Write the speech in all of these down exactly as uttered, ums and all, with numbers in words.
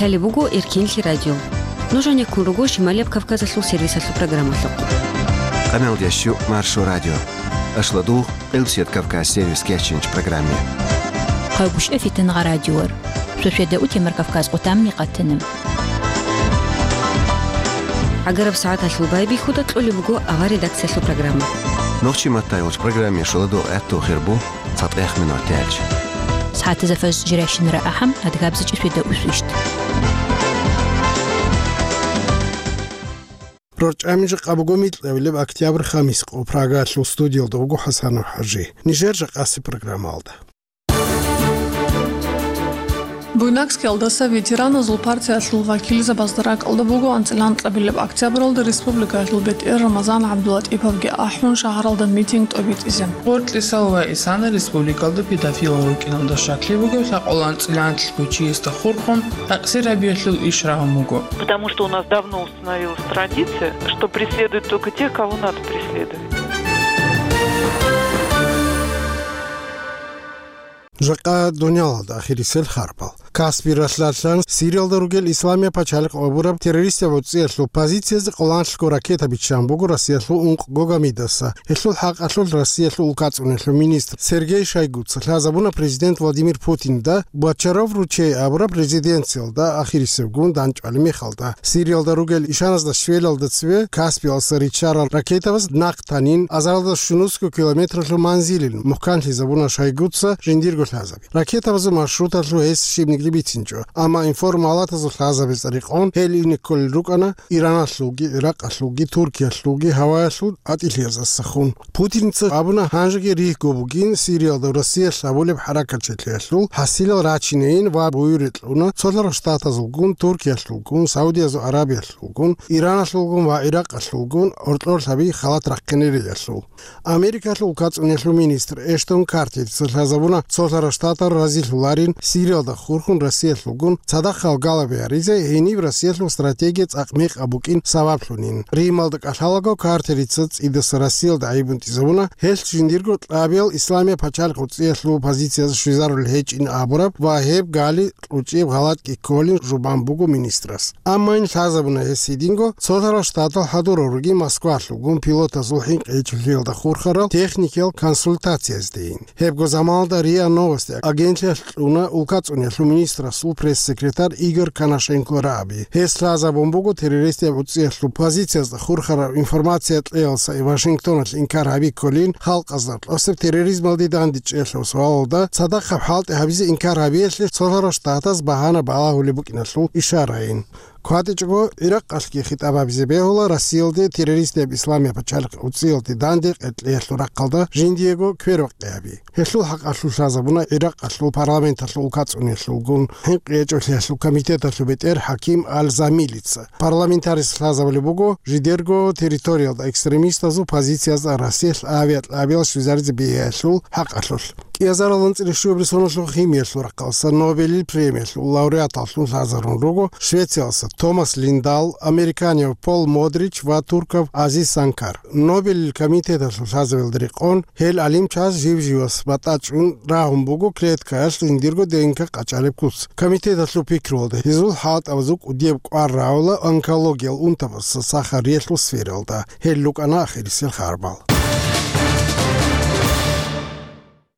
Гьале буго Эркенлъи радио. Нуж гьанеккун руго Шималияб Кавказалъул сервисалъул программалъухъ. Къамел дящу Маршо радио. Ашладугъ, Къилбсият Кавказ сервис кеченч программе. Хъайгъуш эфитан гъа радиор. Шошеда утемар Кавказ къутамни къатана. Агараб сагӀаталъул байбихьуда кьолеб буго авар редакциялъул программа. Нохчи маттай вач программе шуладугъ гӀатту хирбу. ЦатӀех минут тяч. СагӀатазда фаж жирайщинара ахӀам, адгабзичӀи сведа усвищт. РорчӀами жакъа буго микьабилеб октябрь хамис къо Прагалъул студиялда вуго ХӀасанов ХӀажи. Нижер жакъаси программалда. Буйнакскиялдаса ветераназул партиялъул вакилзабазда ракӀалда буго анцӀила анкьабилеб октябралда республикаялъул бетӀер Рамазан ГӀабдулатӀиповги ахӀун шагьаралда митинг тӀобитӀизе. Гъоркьисал ва Исана республикалда педофилал рукӀиналда щаклъи бугеб лъакъул анцӀила анлъго чиясда хурхун, тӀакӀсир гьабиялъул иш рагьун буго. Потому что у нас давно установилась традиция, что преследуют только тех, кого надо преследовать. Жакъа дунялалда ахирисел харпал. Каспи ралъдалъан Сириялда ругел Исламия пачалихъ абураб террористиял гӀуцӀиялъул позициязе къоланлъго ракета биччан буго Россиялъул ункъго гамидаса. Гьелъул хӀакъалъулъ Россиялъул улкацӀунелъул министр Сергей Шойгуца лъазабуна президент Владимир Путинда Бочаров ручей абураб резиденциялда ахирисебгун дандчӀвали мехалда. Сириялда ругел ишаназда щвелалда цеве Каспиялдаса риччарал ракетабаз нахъ танин, азаралда щунусго километралъул манзилил мухӀканлъизабуна Шойгуца жиндирго лъазаби. Ракетабазул маршруталъул гьес щибниги бицинчӀо, амма информалатазул лъазабица рекъон гьел ине кколел рукӀана Ираналъулги, Иракъалъулги, Туркиялъулги гьаваялъул атӀилъиязасахун. Путинца абуна, гьанжеги ригьго бугин Сириялда Россиялъ гьабулеб хӀаракатчилъиялъул хӀасилал рачинейин ва буюре кьуна Цолъарал Штатазулгун, Туркиялъулгун, Саудиязул Аравиялъулгун, Ираналъулгун ва Иракъалъулгун гьоркьорлъаби халат рахъинериялъул. Америкалъул улкацӀунелъул министр Эштон Картерица лъазабуна, Цолъарал Штатал разилъуларин Сириялда хурхун Россиялъулгун цадахъ гьалгалаби гьаризе гьениб Россиялъул стратегия цӀакъ мекъаб букӀин сабаблъунин. Рималда кӀалъалаго Картерица цӀидаса Россиялда гӀайибун тӀизабуна, гьелъ жиндирго кьабиял Исламия пачалихъ гӀуцӀиялъул позицияз щвезарулел гьечӀин абураб ва гьеб гали кьучӀеб гъалатӀги кколин жубан буго министрас. Амма ин лъазабуна гьес гьединго Цолъарал Штатал хӀадурал ругин Москвалъулгун пилотазул хӀинкъи гьечӀолъиялда хурхарал техникиял консультациязде ин. Гьебго заманалда РИА Новости агентлъиялъ кьуна улкацӀунелъул министрасул пресс-секретарь Игорь Коношенко рагӀаби. Гьес лъазабун буго террористияб гӀуцӀиялъул позициязда хурхараб информация кьеялса Вашингтоналъ инкар гьабикколин, халкъазда кьосеб терроризмалде дандечӀеялъул суалалда цадахъаб хӀалтӀи гьабизе инкар гьабиялъе Цолъарал Штатаз багьана балагьулеб букӀиналъул ишараин. КватӀичӀого Иракъалъги хитӀаб гьабизе бегьула Россиялде террористияб Исламия пачалихъ гӀуцӀиялде данде къеркьеялъул рахъалда жиндиего квербакъи гьаби. Гьелъул хӀакъалъулъ лъазабуна Иракъалъул парламенталъул улкацӀунелъулгун хӀинкъи гьечӀолъиялъул комитеталъул бетӀер ХӀаким Аль-Замилица. Парламентарис лъазабулеб буго жидерго территориялда экстремистазул позициязда Россиялъ авиакьабиял щвезаризе бегьиялъул хӀакъалъулъ. КӀиазарал анцӀила щуабилеб соналъул химиялъул рахъалъа Нобелил премиялъул лауреаталлъун лъазарун руго Швециялса Томас Линдал, американияв Пол Модрич ва туркав Азиз Санкар. Нобелил комитеталъул лъазабилда рекъон гьел гӀалимчияс жив-живас батӀачӀун рагьун буго клеткаялъ жиндирго ДНК къачӀалеб куц. Комитеталъул пикруялда гьезул хӀалтӀабазул кӀудияб кӀвар рагӀула онкологиял унтабазул сахариялъул сфералда. Гьел рукӀана ахирисел харбал.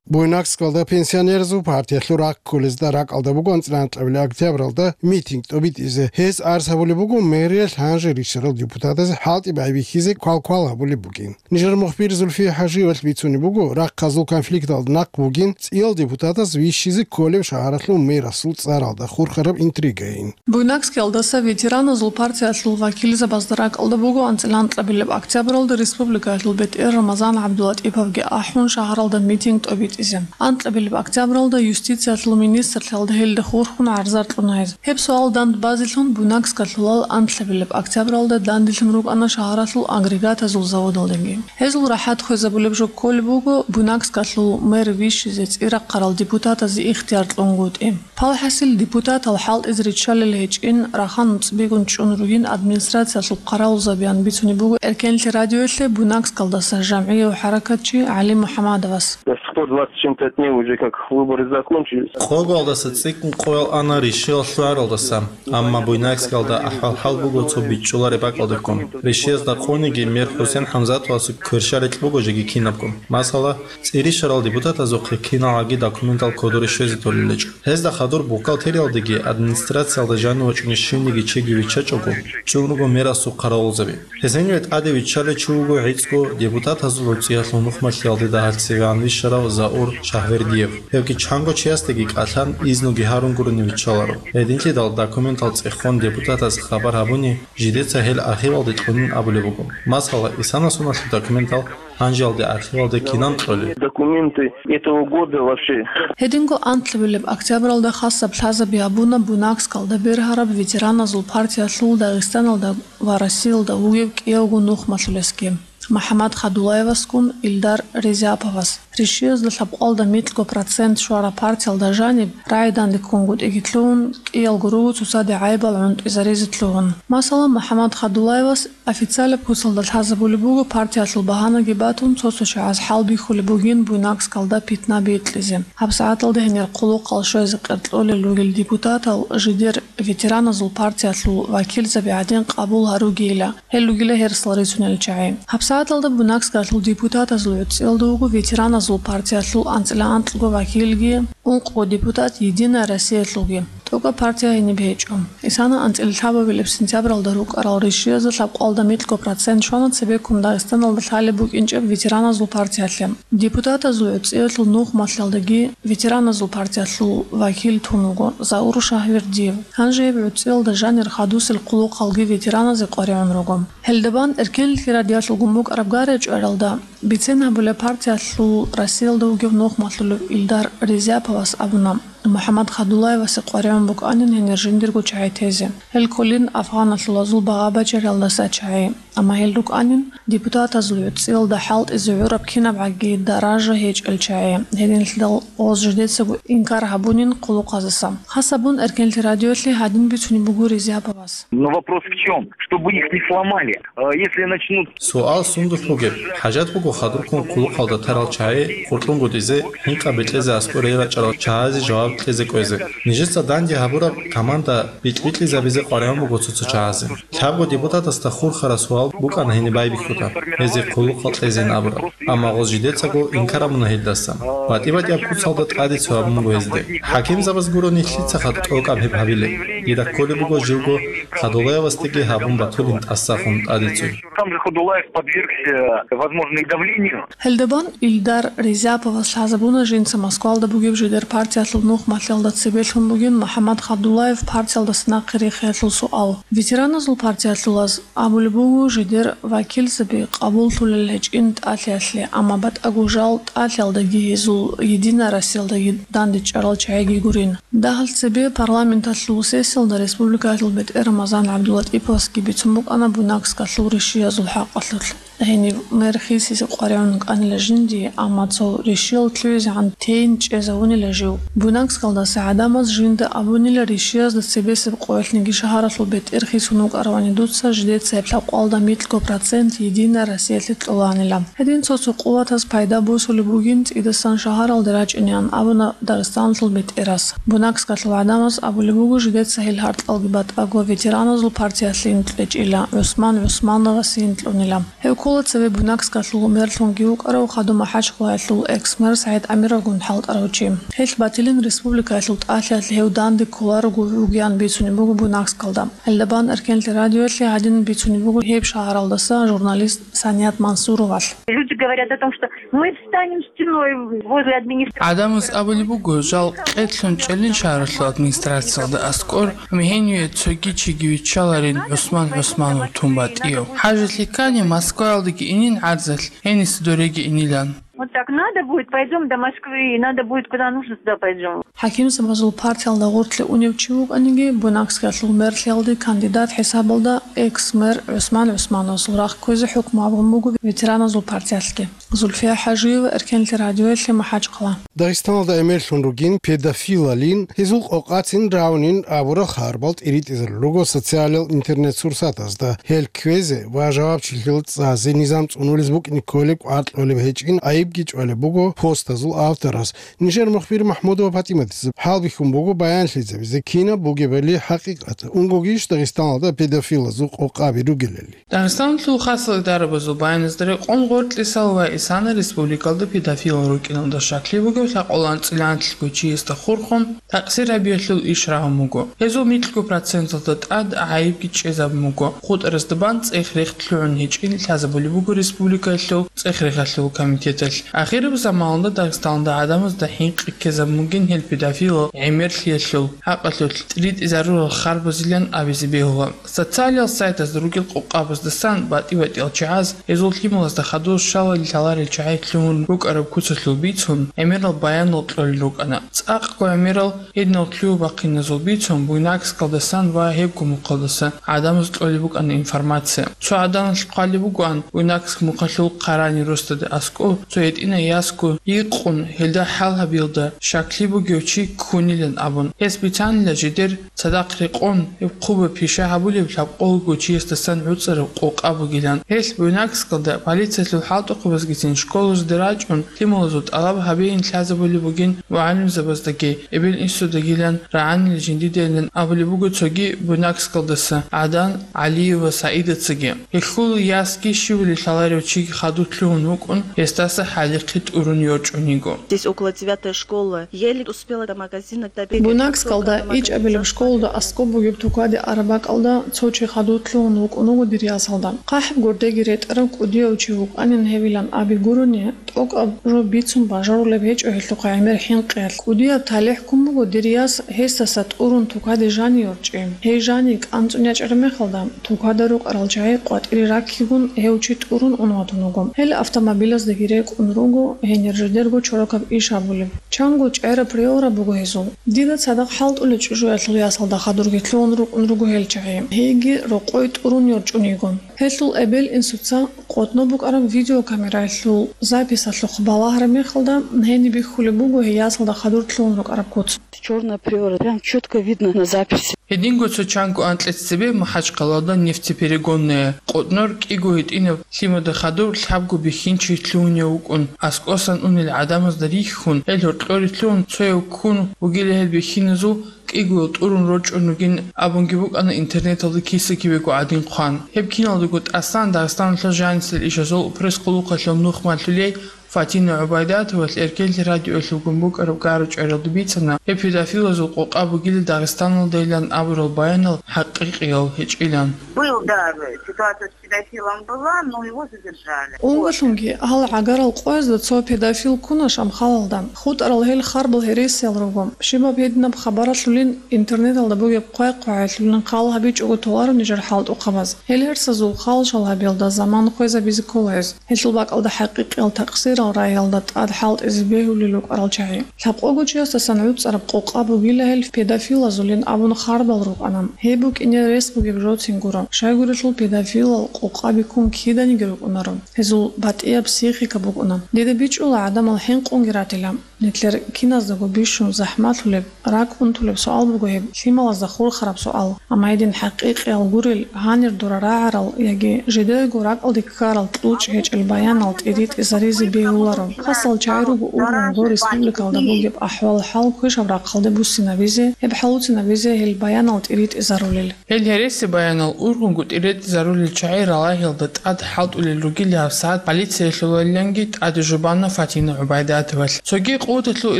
Буйнакскалда пенсионерзул партиялъул рахъ кколезда ракӀалда буго анцӀила анкьабилеб октябралда митинг тӀобитӀизе. Гьез арц гьабулеб буго мэриялъ гьанже риччарал депутатазе хӀалтӀи байбихьизе квалквал гьабулеб бугин. Нижер мухбир Зульфия ХӀажиевалъ бицунеб буго, рахъазул конфликталда нахъ бугин цӀиял депутатаз вищизе кколеб шагьаралъул мэрасул цӀаралда хурхараб интригайин. Буйнакскиялдаса ветераназул партиялъул вакилзабазда ракӀалда буго анцӀила анкьабилеб октябралда республикаялъул бетӀер Рамазан ГӀабдулатӀиповги ахӀун шагьаралда митинг тӀобитӀизе. Анкьабилеб октябралда юстициялъул министрлъиялда гьелда хурхун гӀарзар кьуна гьез. Гьеб суал дандбазелъун Буйнакскалъулал анлъабилеб октябралда данделъун рукӀана шагьаралъул агрегатазул заводалдаги. Гьезул рахӀат хвезабулеб жо кколеб буго Буйнакскалъул мэр вищизе цӀирахъарал депутатазе ихтияр кьунгутӀи. Палхасил депутатал хӀалтӀизе риччалел гьечӀин, рахан цӀбигун чӀун ругин администрациялъул хъаравулзабиян бицунеб буго Эркенлъи радиоялъе Буйнакскалдаса жамгӀияв хӀаракатчи ГӀали МухӀамадовас. По двадцать чем-то дней уже как выборы закончились. Къоялдаса цӀикӀкӀун къоял ана ришиялъ лъугӀаралдаса, амма Буйнакскалда ахӀвал-хӀал буго цо бичӀчӀулареб бакӀалдехун. Ришиязда къониги мер ХӀусен ХӀамзатовасухъ кверщаликь буго жеги кинабго. Масала, цӀирищарал депутатазухъе киналгӀаги документал кодоре щвезе толелечӀо. Гьезда хадур бухгалтериялдеги администрациялда жанив вачӀунев щивниги чиги виччачӀого, чӀун руго мерасул хъаравулзаби. Гьезие тӀаде виччалев чи вуго гӀицӀго депутатазул гӀуцӀиялъул нухмалъиялде дагьалъ цевегӀан вищарав Заур Шагьвердиев. Гьевги чанго чиясдаги кӀалъан, изнуги гьарун гурони виччаларо. Гьединлъидал документал цӀехон депутатаз хабар гьабуни, жидеца гьел архивалде кьунин абулеб буго. Масала, исана соналъул документал гьанжеялде архивалде кинан кьолеб? Документы этого года вообще. Гьединго анлъабилеб октябралда хасаб лъазаби гьабуна Буйнакскалда бергьараб ветераназул партиялъул Дагъистаналда ва Россиялда вугев кӀиявго нухмалъулесги, МухӀаммад Хадулаевасгун Илдар Резяповас. Ришиязда лъабкъоялда микьго процент щвараб партиялда жаниб рагӀи данде ккунгутӀиги лъугьун, кӀиялго руго цоцаде гӀайибал гӀунтӀизаризе лъугьун. Масала, МухӀаммад Хадулаевас официалаб куцалда лъазабулеб буго партиялъул багьанаги батун, цо-цо чагӀаз хӀалбихьулеб бугин Буйнакскалда питна бикьизе. ГьабсагӀаталда гьенир хъулухъал щвезе къеркьолел ругел депутатал жидер ветераназул партиялъул вакилзаби гӀадин къабул гьаругейила, гьел ругила гьерсал рицунел чагӀи. ГьабсагӀаталда Буйнакскалъул депутатазул гӀуцӀиялда вуго ветераназул партиялъул анцӀила анкьго вакилги, ункъго депутат Единая Россиялъулги. ТӀокӀаб партия гьениб гьечӀо. Исана анцӀила лъабабилеб сентябралда рукӀарал ришиязда лъабкъоялда микьго процент щвана цебеккун Дагъистаналда лъалеб букӀинчӀеб ветераназул партиялъе. Депутатазул гӀуцӀиялъул нухмалъиялдаги ветераназул партиялъул вакил тун вуго Заур Шагьвердиев. Гьанже гьеб гӀуцӀиялда жанир хадусел хъулухъалги ветераназе къваригӀун руго. Гьелда бан эркенлъи радиалъулгун букӀараб гӀарачӀваралда бицен гьабулеб партиялъул Россиялда вугев нухмалъулев Илдар Резяповас абуна, МухӀаммад Хадулаевасе къваригӀун букӀанин гьенир жиндирго чагӀи тезе. Гьел кколин афганалъулазул багъа-бачаралдаса чагӀи, амма гьел рукӀанин депутатазул гӀуцӀиялда хӀалтӀизе гӀураб кинабгӀаги даража гьечӀел чагӀи, гьединлъидал гъоз жидецаго инкар гьабунин хъулухъаздаса. Хасабун эркенлъи радиоялъе гьадин бицунеб буго Резяповас. Но вопрос в чём? Чтобы их не сломали. А если начнут Суал сундулъ бугеб? ХӀажат буго хадурккун хъулухъалда тарал чагӀи къуркьунгутӀизе, хӀинкъа бекьезе аскӀоре рачӀарал чагӀазе жаваб кьезе кӀвезе. Нижеца данде гьабураб команда бикь-бикьизабизе къваригӀун буго цо-цо чагӀазе. Лъабго депутатасда хурхараб суал букӀана гьениб байбихьуда, гьезие хъулухъал кьезейин абураб. Амма гъоз жидецаго инкар гьабуна гьелдасан. БатӀи-батӀияб куцалда тӀадицу гьабун буго гьезде. ХӀакимзабаз гурони лъицаха тӀокӀаб гьеб гьабилеб. Дида кколеб буго живго Хадулаевасдаги гьабун батулин тӀасахун тӀадицу. Сам же Хадулаев подвергся, возможно, и давлению. Гьелда бан Илдар Резяповас лъазабуна жинца Москвалда бугеб жидер партиялъул нухмалъиялда цебе лъун бугин МухӀаммад Хадулаев партиялдаса нахъе рихиялъул суал. Ветераназул партиялъулаз абулеб буго, жидер вакилзаби къабуллъулел гьечӀин тӀалъиялъе, амма батӀаго жал тӀалъиялдаги гьезул Единая Россиялдаги дандечӀарал чагӀиги гурин. Дагьал цебе парламенталъул сессиялда республикалъул бетӀер Рамазан ГӀабдуллатӀиповасги бицун букӀана Буйнакскалъул ришиязул хӀакъалъулъ. Гьенив мер хисизе къваригӀун вукӀанила жинди, амма цо ришиял лъугӀизегӀан тейин чӀезавунила жив. Буйнакскалдаса гӀадамаз жинда абунила ришиязда цебесеб къоялъниги шагьаралъул бетӀер хисун вукӀаравани дуца жидеца гьеб лъабкъоялда микьго процент Единая Россиялъе кьоланила. Гьедин цо-цо къуватаз пайда босулеб бугин цӀидасан шагьаралде рачӀинеян абуна Дагъистаналъул бетӀерас. Буйнакскалъул гӀадамаз абулеб буго, жидеца гьел гьаркьалги батӀаго ветераназул партиялъе инкьечӀила, ГӀусман ГӀусмановасе инкьунила. Гьев ккола цеве Буйнакскалъул мерлъунги вукӀарав хадуб МахӀачхъалаялъул экс-мэр СагӀид ГӀамировгун хӀалтӀарав чи. Гьелъ батилин республикаялъул тӀалъиялъе гьев данде кколарого вугеян бицунеб буго Буйнакскалда. Гьелда бан эркенлъи радиоялъе гьадин бицунеб буго гьеб шагьаралдаса журналист Саният Мансуровалъ. Люди говорят о том, что мы встанем стеной возле администрации. ГӀадамаз абулеб буго, жал къедлъун чӀелин шагьаралъул администрациялда аскӀор, гьениве цоги чиги виччаларин ГӀусман ГӀусманов тун батӀияв. ХӀажалъи ккани, Москваялдеги инин гӀарзалъ, гьениса дореги инилан. Вот так надо будет, пойдём до Москвы, и надо будет, куда нужно, туда пойдём. ХӀакимзабазул партиялда гъорлъе унев чи вукӀаниги, Буйнакскалъул мерлъиялде кандидат хӀисабалда экс-мэр ГӀусман ГӀусмановасул рахъ кквезе хӀукму гьабун буго ветераназул партиялъги. Зульфия ХӀажиева, эркенлъи радиоялъе, МахӀачхъала. Дагъистаналда гӀемерлъун ругин педофилалин, гьезул къокъацин равнин абурал хабарал тӀиритӀизарулел руго социалал интернет-сурсатазда. Гьел кквезе ва жавабчилъи цӀазе низам цӀунулез букӀине кколеб кӀвар кьолеб гьечӀин айиб гьикъги чӀвалеб буго постазул авторас. Нижер мухбир МахӀмудова ПатӀиматица хӀалбихьун буго баянлъизабизе кинаб бугебали хӀакъикъат, унгогищ Дагъистаналда педофилазул къокъаби ругелали. Дагъистаналъул хасал идарабазул баяназда рекъон гъоркьисал ва исана республикалда педофилал рукӀиналда щаклъи бугев лъакъолан цӀилан-лъго чиясда хурхун, такъсир гьабиялъул иш рагьун буго. Гьезул микьго проценталда тӀад гӀайибги чӀезабун буго. ХутӀарасда бан цӀех-рех лъугӀун гьечӀин лъазабулеб буго республикаялъул цӀех-рехалъул комитеталъ. Ахираб заманалда Дагъистаналда гӀадамазда хӀинкъи ккезабун бугин гьел педофилал гӀемерлъиялъул хӀакъалъулъ тӀиритӀизарурал харбазилан абизе бегьула. Социалиал сайтазда ругел къокъабаздасан батӀи-батӀиял чагӀаз, гьезул лъималазда хадур щалали лъаларел чагӀи лъугьун рукӀараб куцалъул бицун, гӀемерал баянал кьолел рукӀана. ЦӀакъго гӀемерал гьединал лъугьа-бахъиназул бицун Буйнакскалдасан ва гьебго мухъалдаса гӀадамаз кьолеб букӀана информация. Цо гӀаданалъ хъвалеб бугоан, Буйнакск мухъалъул Къарани росдаде аскӀов цо гьитӀинай ясго йикъун, гьелда хӀал гьабиялда щаклъи бугев чи ккунилан абун. Гьес бицанила жидер цадахъ рекъон, гьеб хъуба пиша гьабулеб лъабкъолго чиясдасан гӀуцӀараб къокъа бугилан. Гьелъ Буйнакскалда полициялъул хӀалтӀухъабазгицин школазде рачӀун, лъималазул тӀалаб гьабейин лъазабулеб бугин мугӀалимзабаздаги, эбел-инсудагилан рагӀанила жиндидайилан абулеб буго цоги Буйнакскалдаса ГӀадан ГӀалиева СагӀидацаги. Гьелъул ясги щивали лъаларев чиги хадур лъугьун вукӀун, гьесдаса хӀалихъи тӀурун йорчӀун йиго. Здесь около девятой школы. Еле успела до магазина добегать. Буйнакскалда ичӀабилеб школалда аскӀоб бугеб тукаде араб бакӀалда цо чи хадур лъугьун вукӀун вуго дир ясалда. ХъахӀаб гурдеги ретӀарав кӀудияв чи вукӀанин гьевилан аби гурони, тӀокӀаб жо бицун бажарулеб гьечӀо гьелъухъа гӀемер хӀинкъиялъ. КӀудияб талихӀ ккун буго дир яс гьесдаса тӀурун тукаде жани йорчӀи. Гьей жани кӀанцӀун ячӀараб мехалда, тукада рукӀарал чагӀи къватӀире раккигун гьев чи тӀурун ун ватун вуго. Гьел автомобилаздаги рекӀун руго, гьенир жидерго чорокаб иш гьабулеб. Чанго чӀараб приора буго гьезул. Дида цадахъ хӀалтӀулел чӀужуялъул ясалда хадурги лъугьун рукӀун руго гьел чагӀи. Гьейги рокъой тӀурун йорчӀун йиго. Гьелъул эбел-инсуца къотӀно букӀараб видеокамераялъул записалъухъ балагьараб мехалда, гьениб бихьулеб буго гьей ясалда хадур лъугьун рукӀараб куц. Чёрная приора, прям чётко видно на записи. Гьединго цо чанго анкьица цебе МахӀачхъалалда нефтеперегонная къотӀнор кӀиго гьитӀинаб лъимада хадур лъабго бихьинчи лъугьунев вукӀун, аскӀосан унел гӀадамазда рихьун, гьел гьоркьоре лъугьун цояв ккун вугила гьел бихьиназул, кӀигоял тӀурун рорчӀун ругин абунги букӀана интернеталда киса-кибего гӀадин хъван. Гьеб киналдаго тӀасан Дагъистаналъул жанисел ишазул пресс-къулухъалъул нухмалъулей Фатина ГӀубайдатовалъ Эркенлъи радиоялъулгун букӀараб гара-чӀваралда бицана, гьеб педофилазул къокъа бугила Дагъистаналдайилан абурал баянал хӀакъикъиял гьечӀилан. Был, да, ситуация с педофилом была, но его задержали. Унгалъунги, гьал гӀагарал къоязда цо педофил ккуна Шамхалалда. ХутӀарал гьел харбал гьересиял руго. Щибаб гьединаб хабаралъулин интернеталда бугеб хъвай-хъвагӀалъулин хъал гьабичӀого толаро нижер хӀалтӀухъабаз. Гьел гьерсазул халжал гьабиялда заман хвезабизе ккола гьез. Гьелъул бакӀалда хӀакъикъиял такъсирал рагӀиялда тӀад хӀалтӀизе бегьулел рукӀарал чагӀи. Лъабкъого чиясдасан гӀуцӀараб къокъа бугила гьел педофилазулин абун харбал рукӀана. Гьеб букӀине рес бугеб жоцин гуро. Щайгурелъул педофилал къокъаби ккун киданиги рукӀунаро. Гьезул батӀияб психика букӀуна. Дида бичӀчӀула гӀадамал хӀинкъунги ратила. Нилъер киназдаго бищун захӀмалъулеб, ракӀ унтулеб суал буго гьеб, лъималазда хурхараб суал. Амма гьедин хӀакъикъиял гурел, гьанир дора рагӀарал яги жидерго ракӀалде ккарал кьучӀ гьечӀел баянал тӀиритӀизаризе бегьуларо. Хасал чагӀи руго ургъун гъо республикалда бугеб ахӀвал-хӀал квешаб рахъалде буссинабизе, гьеб хӀалуцинабизе гьел баянал тӀиритӀизарулел. Гьел гьереси баянал ургъунгутӀи ретӀизарулел чагӀи ралагьиялда тӀад хӀалтӀулел ругел гьабсагӀат полициялъулалиланги тӀаде жубана Фатина ГӀубайдатовалъ. Цоги къуваталъул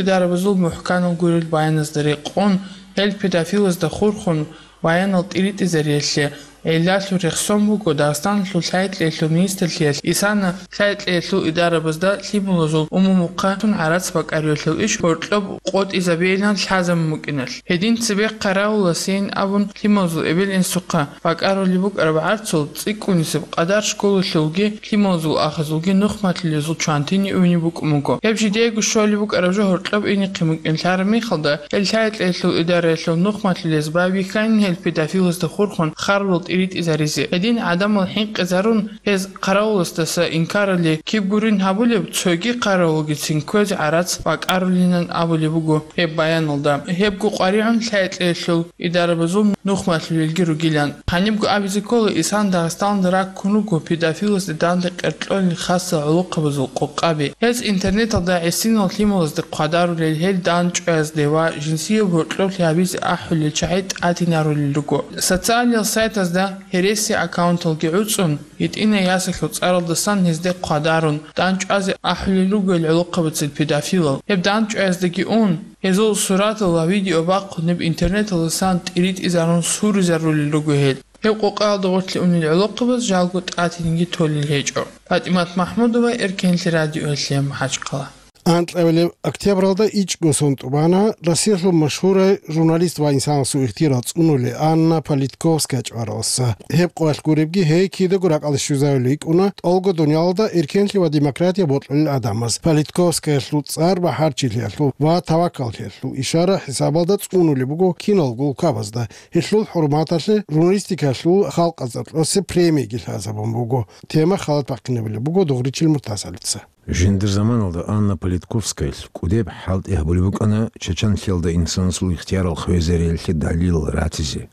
идарабазул мухӀканал гурел баяназда рекъон, гьел педофилазда хурхун баянал тӀиритӀизариялъе гӀиллалъул рехсон буго Дагъистаналъул лъай-кьеялъул министрлъиялъ исана лъай-кьеялъул идарабазда лъималазул умумухъа тун гӀарац бакӀариялъул иш гьоркьоб къотӀизабейилан лъазабун букӀиналъ. Гьедин цебехъ хъаравуласейин абун лъималазул эбел-инсухъа бакӀарулеб букӀараб гӀарцул цӀикӀкӀунисеб къадар школалъулги лъималазул ахазулги нухмалъулезул чвантине уйни букӀун буго. Гьеб жидеего щолеб букӀараб жо гьоркьоб инехъин букӀин лъараб мехалда, гьел лъай-кьеялъул идараялъул нухмалъулез байбихьанин гьел педофилазда хурхун харбал ритӀизаризе. Гьедин гӀадамал хӀинкъизарун, гьез хъаравуласдаса инкарали киб гурин гьабулеб, цоги хъаравулгицин кквезе гӀарац бакӀарулинан абулеб буго гьеб баяналда. Гьебго къваригӀун лъай-кьеялъул идарабазул нух малъулелги ругилан. Гьанибго абизе ккола, Исан Дагъистаналда раккун руго педофиласде данде къеркьолел хасал гӀолохъабазул къокъаби. Гьез интернеталда гӀисинал лъималазде хъвадарулел, гьел данчӀваязде ва жинсияб гьоркьоблъи гьабизе ахӀулел чагӀи тӀадинарулел руго. Социальный сайтазда гьереси аккаунталги гӀуцӀун, гьитӀинай ясалъул цӀаралдасан гьезде хъвадарун, данчӀвазе ахӀулел руго гьел гӀолохъабацин педофилал. Гьеб данчӀваяздаги ун, гьезул суратал ва видео бахъун, гьеб интернеталдасан тӀиритӀизарун суризарулел руго гьел. Гьеб къокъаялда гъорлъе унел гӀолохъабаз жалго тӀатинги толел гьечӀо. ПатӀимат Махмудова, Эркенлъи радиоялъе, МахӀачхъала. Анкьабилеб октябралда ичӀго сон тӀубана Россиялъул машгьурай журналист ва инсанасул ихтияр цӀунулев Анна Политковская чӀваралдаса. Гьеб къоялъ гуребги, гьей кидаго ракӀалде щвезавулев йикӀуна тӀолго дуниялалда эркенлъи ва демократия бокьулел гӀадамаз. Политковскаялъул цӀар бахӀарчилъиялъул ва тавакаллъиялъул ишара-хӀисабалда цӀунулеб буго киналго улкабазда. Гьелъул хӀурматалъе журналистикалъул халкъазда кьосеб премияги лъазабун буго. Тема халат бахъинабулеб буго Дугъричил Муртазалица. Жиндир заманалда Анна Политковскаялъ кӀудеб хӀалтӀи гьабулеб букӀана чачанлъиялда инсанасул ихтиярал хвезариялъе далилал ратизе.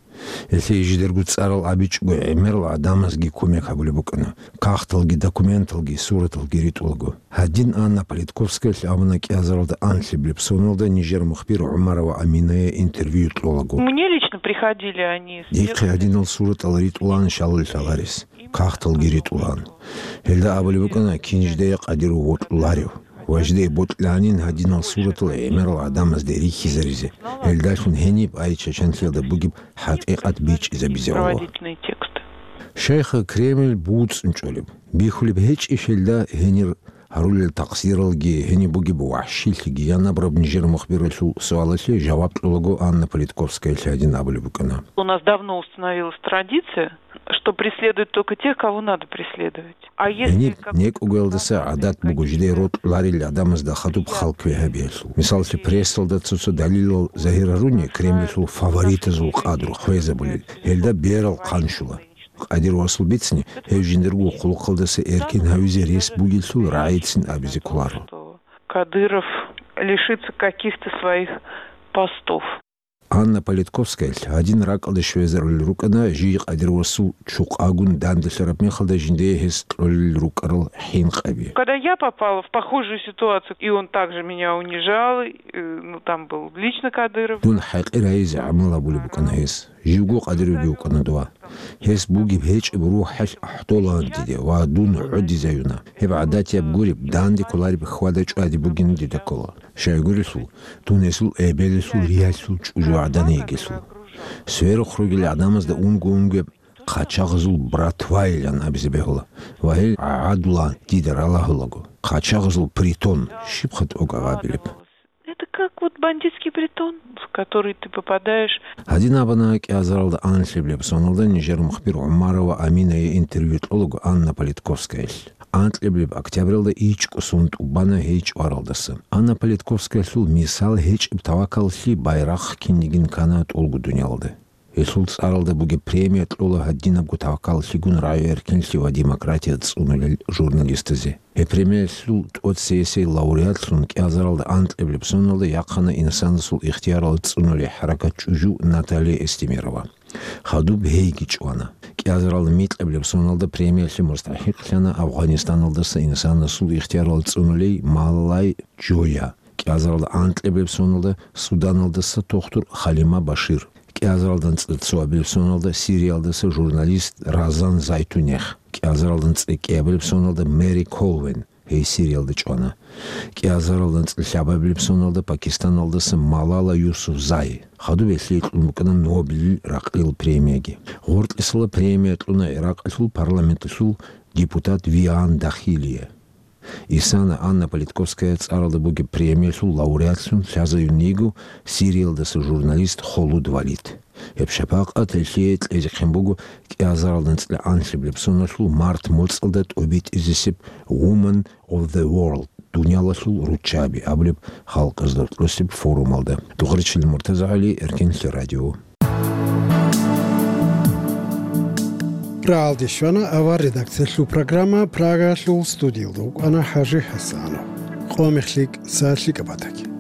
Гьелъие жидерго цӀарал абичӀого гӀемерал гӀадамазги кумек гьабулеб букӀана, кагъталги, документалги, сураталги ритӀулаго. Гьадин Анна Политковскаялъ абуна кӀиазаралда анлъабилеб соналда нижер мухбир ГӀумарова Аминае интервью кьолаго. Мне лично приходили они с Дихъе гьадинал суратал ритӀулаан шалул лъаларес, кагъталги ритӀулаан. Гьелда абулеб букӀана кинжидая къадиру вокьуларев. Ва жидее бокьанин гьадинал суратал гӀемерал гӀадамазде рихьизаризе, гьелдалъун гьениб ай чачанлъиялда бугеб хӀакъикъат бичӀчӀизабизе гӀоло. Проводительные тексты. Шайха Кремль буцӀцӀун чӀолеб, бихьулеб гьечӀищ гьелда гьенир гьарулел такъсиралги, гьениб бугеб вахӀшилъиги? Янабраб нижер мухбиралъул суалалъе жаваб кьолаго Анна Политковскаялъ гьадин абулеб букӀана. У нас давно установилась традиция, что преследуют только тех, кого надо преследовать. А если Гьениб как некӀугалдаса гӀадат буго жидее рокьуларел гӀадамазда хадуб халкве гьабиялъул. Мисаллъи, прессалда цо-цо далилал загьир гьаруни, Кремльалъул фаворитазул къадру хвезабулел, гьелда берал хъанщула. Къадир васул бицни, гьев жиндирго хъулухъалдаса эркин гьавизе рес бугелъул рагӀицин абизе кколаро. Кадыров лишится каких-то своих постов. Анна Политковскаялъ гьадин ракӀалде щвезарулел рукӀана жий Къадир васул чукъагун данделъараб мехалда жиндие гьес кьолел рукӀарал хӀинкъаби. Когда я попала в похожую ситуацию, и он также меня унижал, и, ну, там был лично Кадыров. Дун хӀакъир гьайизе гӀамал гьабулеб букӀана гьес. Живго Къадировги вукӀана дова. Гьес бугеб гьечӀеб рухӀалъ ахӀдолаан диде ва дун гӀодизаюна. Гьеб гӀадатияб гуреб, данде кколареб хьвада-чӀвади бугин дида ккола. Щайгурелъул, дун гьесул эбелалъул, риялъул чӀужугӀадан йигелъул. Сверухъ ругел гӀадамазда унго-унгояб хъачагъазул братвайилан абизе бегьула ва гьел гӀагӀадулаан дида ралагьулаго. Хъачагъазул притон щибха тӀокӀаб абилеб? Это как вот бандитский притон, в который ты попадаешь. Гьадин абуна кӀиазаралда анлъабилеб соналда нижер мухбир ГӀумарова Аминае интервью кьолаго Анна Политковскаялъ. Анкьабилеб октябралда ичӀго сон тӀубана гьей чӀваралдаса. Анна Политковскаялъул мисал гьечӀеб тавакаллъи, байрахъ кинигин ккана тӀолго дуниялалда. Гьелъул цӀаралда бугеб премия кьола гьадинабго тавакаллъигун рагӀи-эркенлъи ва демократия цӀунулел журналистазе. Гьеб премиялъул тӀоцесей лауреатлъун кӀиазаралда анкьабилеб соналда яхъана инсанасул ихтиярал цӀунулей хӀаракат чӀужу Наталья Эстемирова. Хадуб гьейги чӀвана. КӀиазаралда микьабилеб соналда премиялъе мустахӀикълъана Афгъанистаналдаса инсанасул ихтиярал цӀунулей Маллай Джоя. КӀиазаралда анкьабилеб соналда Суданалдаса тухтур Халима Башир. КӀиазаралда анцӀила цоабилеб соналда Сириялдаса журналист Разан Зайтунех. КӀиазаралда анцӀила кӀиабилеб соналда Мэри Колвен, гьей Сириялда чӀвана. КӀиазаралда анцӀила лъабабилеб соналда Пакистаналдаса Малала Юсуфзай. Хадуб гьелъие кьун букӀана Нобелил ракьалил премияги. Гъоркьисала премия кьуна ГӀиракъалъул парламенталъул депутат Виан Дахилие. Исана Анна Политковская цӀаралда бугеб премиялъул лауреатлъун лъазаюн йиго Сириялдаса журналист Холуд Валид. Гьеб шапакъат гьелъие кьезехъин буго кӀиазаралда анцӀила анлъабилеб соналъул март моцӀалда тӀобитӀизесеб Woman of the World, дуниялалъул руччаби абулеб халкъазда кьосеб форумалда. Дугъричил МуртазагӀали, Эркенлъи радио. Рагьалде щвана авар редакциялъул программа, Прагаялъул студиялда вукӀана ХӀажи ХӀасанов. Къо мехлъи кӀса лъикӀаб батаги.